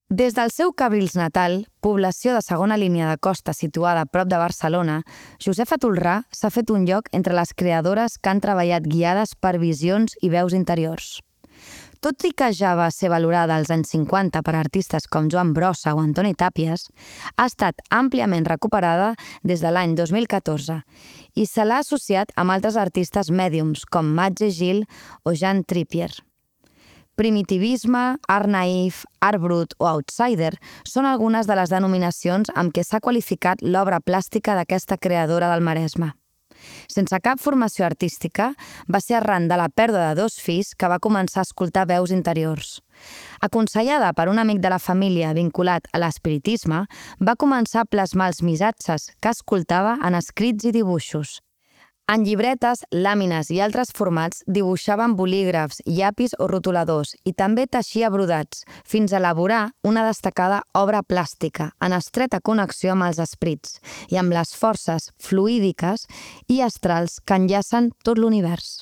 Des del seu Cabrils natal, població de segona línia de costa situada a prop de Barcelona, Josefa Tolrà s'ha fet un lloc entre les creadores que han treballat guiades per visions i veus interiors. Tot i que ja va ser valorada als anys 50 per artistes com Joan Brossa o Antoni Tàpies, ha estat àmpliament recuperada des de l'any 2014 i se l'ha associat amb altres artistes mèdiums com Madge Gil o Jean Trippier. Primitivisme, art naïf, art brut o outsider són algunes de les denominacions amb què s'ha qualificat l'obra plàstica d'aquesta creadora del Maresme. Sense cap formació artística, va ser arran de la pèrdua de 2 fills que va començar a escoltar veus interiors. Aconsellada per un amic de la família vinculat a l'espiritisme, va començar a plasmar els missatges que escoltava en escrits i dibuixos. En llibretes, làmines i altres formats dibuixaven bolígrafs, llapis o rotuladors i també teixia brodats, fins a elaborar una destacada obra plàstica en estreta connexió amb els esprits i amb les forces fluídiques i astrals que enllacen tot l'univers.